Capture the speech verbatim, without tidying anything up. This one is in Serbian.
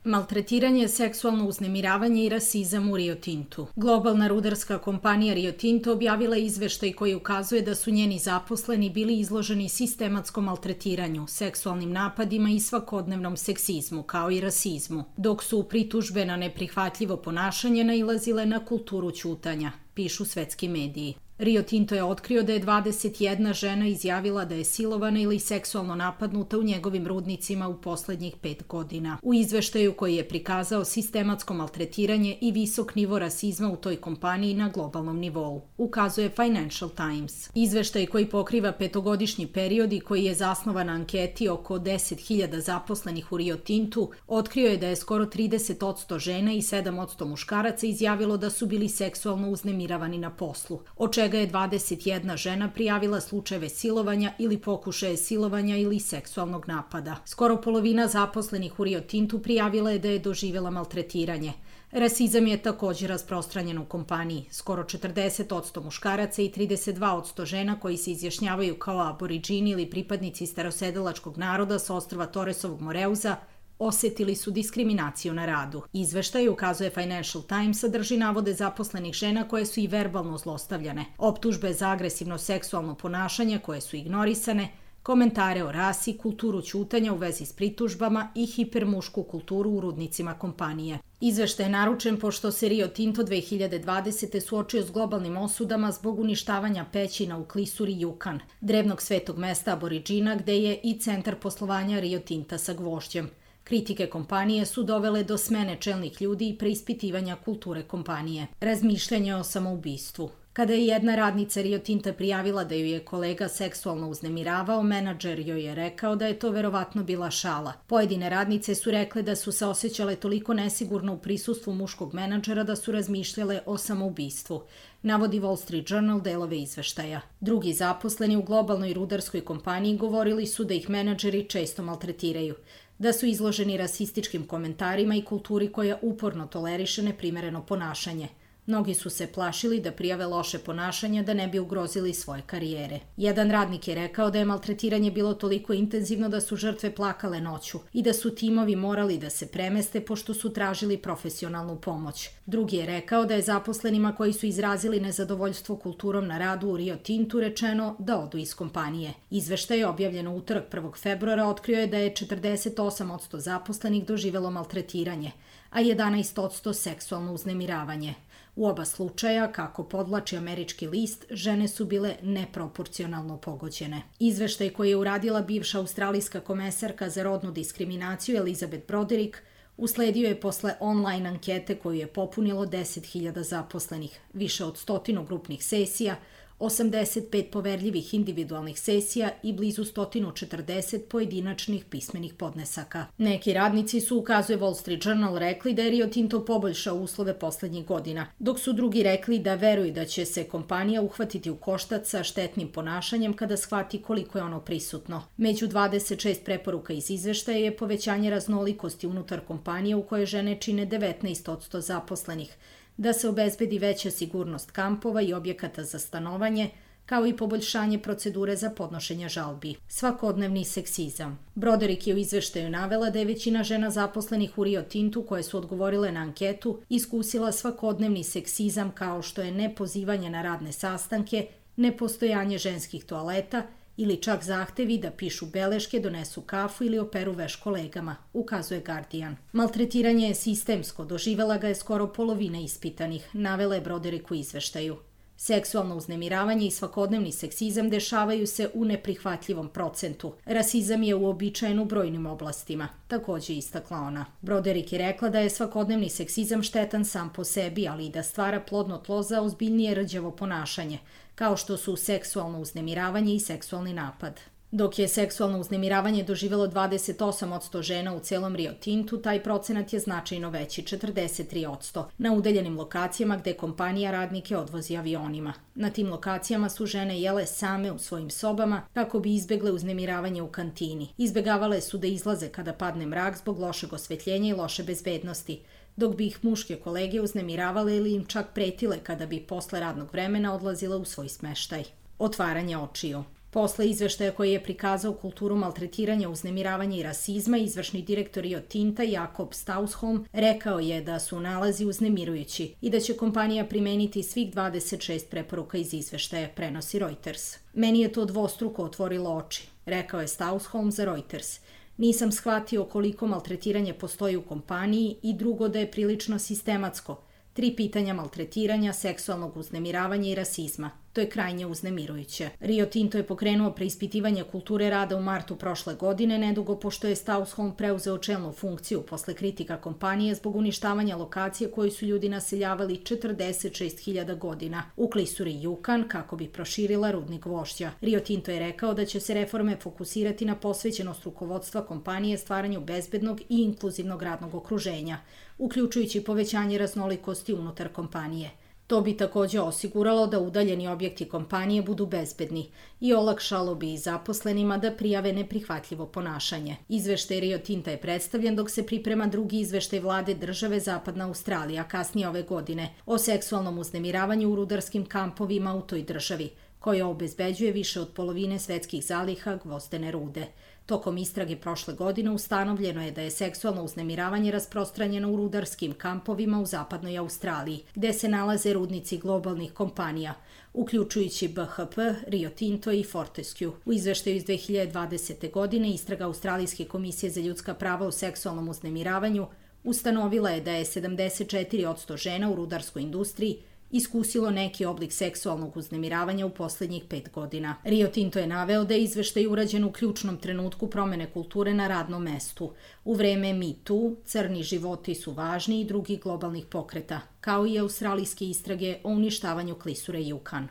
Maltretiranje, seksualno uznemiravanje i rasizam u Rio Tintu. Globalna rudarska kompanija Rio Tinto objavila je izveštaj koji ukazuje da su njeni zaposleni bili izloženi sistematskom maltretiranju, seksualnim napadima i svakodnevnom seksizmu, kao i rasizmu, dok su pritužbe na neprihvatljivo ponašanje nailazile na kulturu ćutanja, pišu svetski mediji. Rio Tinto je otkrio da je dvadeset jedna žena izjavila da je silovana ili seksualno napadnuta u njegovim rudnicima u poslednjih pet godina. U izveštaju koji je prikazao sistematsko maltretiranje i visok nivo rasizma u toj kompaniji na globalnom nivou, ukazuje Financial Times. Izveštaj koji pokriva petogodišnji period i koji je zasnovan na anketi oko deset hiljada zaposlenih u Rio Tintu, otkrio je da je skoro trideset posto žena i sedam posto muškaraca izjavilo da su bili seksualno uznemiravani na poslu, od čega je dvadeset jedna žena prijavila slučajeve silovanja ili pokušaje silovanja ili seksualnog napada. Skoro polovina zaposlenih u Rio Tintu prijavila je da je doživjela maltretiranje. Rasizam je također rasprostranjen u kompaniji. Skoro četrdeset posto muškaraca i trideset dva posto žena koji se izjašnjavaju kao aboriđini ili pripadnici starosedelačkog naroda sa ostrva Torresovog Moreuza osetili su diskriminaciju na radu. Izveštaj, ukazuje Financial Times, sadrži navode zaposlenih žena koje su i verbalno zlostavljane, optužbe za agresivno seksualno ponašanje koje su ignorisane, komentare o rasi, kulturu ćutanja u vezi s pritužbama i hipermušku kulturu u rudnicima kompanije. Izveštaj je naručen pošto se Rio Tinto dve hiljade dvadesete suočio s globalnim osudama zbog uništavanja pećina u klisuri Yukon, drevnog svetog mesta aboriđina gde je i centar poslovanja Rio Tinta sa gvožđem. Kritike kompanije su dovele do smene čelnih ljudi i preispitivanja kulture kompanije. Razmišljanje o samoubistvu. Kada je jedna radnica Rio Tinta prijavila da ju je kolega seksualno uznemiravao, menadžer joj je rekao da je to verovatno bila šala. Pojedine radnice su rekle da su se osjećale toliko nesigurno u prisustvu muškog menadžera da su razmišljale o samoubistvu, navodi Wall Street Journal delove izveštaja. Drugi zaposleni u globalnoj rudarskoj kompaniji govorili su da ih menadžeri često maltretiraju, da su izloženi rasističkim komentarima i kulturi koja uporno toleriše neprimereno ponašanje. Mnogi su se plašili da prijave loše ponašanje da ne bi ugrozili svoje karijere. Jedan radnik je rekao da je maltretiranje bilo toliko intenzivno da su žrtve plakale noću i da su timovi morali da se premeste pošto su tražili profesionalnu pomoć. Drugi je rekao da je zaposlenima koji su izrazili nezadovoljstvo kulturom na radu u Rio Tintu rečeno da odu iz kompanije. Izveštaj, objavljen u utorak prvog februara, otkrio je da je četrdeset osam posto zaposlenih doživelo maltretiranje, a jedanaest posto seksualno uznemiravanje. U oba slučaja, kako podvlači američki list, žene su bile neproporcionalno pogođene. Izveštaj koji je uradila bivša australijska komesarka za rodnu diskriminaciju Elizabeth Broderick usledio je posle online ankete koju je popunilo deset hiljada zaposlenih, više od stotinu grupnih sesija, osamdeset pet poverljivih individualnih sesija i blizu sto četrdeset pojedinačnih pismenih podnesaka. Neki radnici su, ukazuje Wall Street Journal, rekli da je Rio Tinto poboljšao uslove poslednjih godina, dok su drugi rekli da veruju da će se kompanija uhvatiti u koštac sa štetnim ponašanjem kada shvati koliko je ono prisutno. Među dvadeset šest preporuka iz izveštaja je povećanje raznolikosti unutar kompanije u kojoj žene čine devetnaest posto zaposlenih, da se obezbedi veća sigurnost kampova i objekata za stanovanje, kao i poboljšanje procedure za podnošenje žalbi. Svakodnevni seksizam. Broderick je u izveštaju navela da je većina žena zaposlenih u Rio Tintu koje su odgovorile na anketu iskusila svakodnevni seksizam kao što je nepozivanje na radne sastanke, nepostojanje ženskih toaleta ili čak zahtevi da pišu beleške, donesu kafu ili operu veš kolegama, ukazuje Guardian. Maltretiranje je sistemsko, doživela ga je skoro polovina ispitanih, navela je Broderick u izveštaju. Seksualno uznemiravanje i svakodnevni seksizam dešavaju se u neprihvatljivom procentu. Rasizam je uobičajen u brojnim oblastima, takođe istakla ona. Broderick je rekla da je svakodnevni seksizam štetan sam po sebi, ali i da stvara plodno tlo za ozbiljnije rđavo ponašanje, kao što su seksualno uznemiravanje i seksualni napad. Dok je seksualno uznemiravanje doživelo dvadeset osam posto žena u celom Rio Tintu, taj procenat je značajno veći, četrdeset tri posto, na udaljenim lokacijama gde kompanija radnike odvozi avionima. Na tim lokacijama su žene jele same u svojim sobama kako bi izbegle uznemiravanje u kantini. Izbegavale su da izlaze kada padne mrak zbog lošeg osvetljenja i loše bezbednosti, dok bi ih muške kolege uznemiravale ili im čak pretile kada bi posle radnog vremena odlazile u svoj smeštaj. Otvaranje očiju. Posle izveštaja koji je prikazao kulturu maltretiranja, uznemiravanja i rasizma, izvršni direktor Rio Tinta Jakob Stausholm rekao je da su nalazi uznemirujući i da će kompanija primeniti svih dvadeset šest preporuka iz izveštaja, prenosi Reuters. Meni je to dvostruko otvorilo oči, rekao je Stausholm za Reuters. Nisam shvatio koliko maltretiranje postoji u kompaniji i drugo da je prilično sistematsko. Tri pitanja maltretiranja, seksualnog uznemiravanja i rasizma. To je krajnje uznemirujuće. Rio Tinto je pokrenuo preispitivanje kulture rada u martu prošle godine, nedugo pošto je Stausholm preuzeo čelnu funkciju posle kritika kompanije zbog uništavanja lokacije koju su ljudi naseljavali četrdeset šest hiljada godina u klisuri Yukon kako bi proširila rudnik gvožđa. Rio Tinto je rekao da će se reforme fokusirati na posvećenost rukovodstva kompanije stvaranju bezbednog i inkluzivnog radnog okruženja, uključujući povećanje raznolikosti unutar kompanije. To bi takođe osiguralo da udaljeni objekti kompanije budu bezbedni i olakšalo bi i zaposlenima da prijave neprihvatljivo ponašanje. Izveštaj Rio Tinta je predstavljen dok se priprema drugi izveštaj vlade države Zapadna Australija kasnije ove godine o seksualnom uznemiravanju u rudarskim kampovima u toj državi, koja obezbeđuje više od polovine svetskih zaliha gvozdene rude. Tokom istrage prošle godine ustanovljeno je da je seksualno uznemiravanje rasprostranjeno u rudarskim kampovima u zapadnoj Australiji, gde se nalaze rudnici globalnih kompanija, uključujući B H P, Rio Tinto i Fortescue. U izveštaju iz dve hiljade dvadesete. godine istraga Australijske komisije za ljudska prava o seksualnom uznemiravanju ustanovila je da je sedamdeset četiri posto žena u rudarskoj industriji iskusilo neki oblik seksualnog uznemiravanja u poslednjih pet godina. Rio Tinto je naveo da je izveštaj urađen u ključnom trenutku promene kulture na radnom mestu. U vreme Me Too, crni životi su važni i drugih globalnih pokreta, kao i australijske istrage o uništavanju klisure Yukon.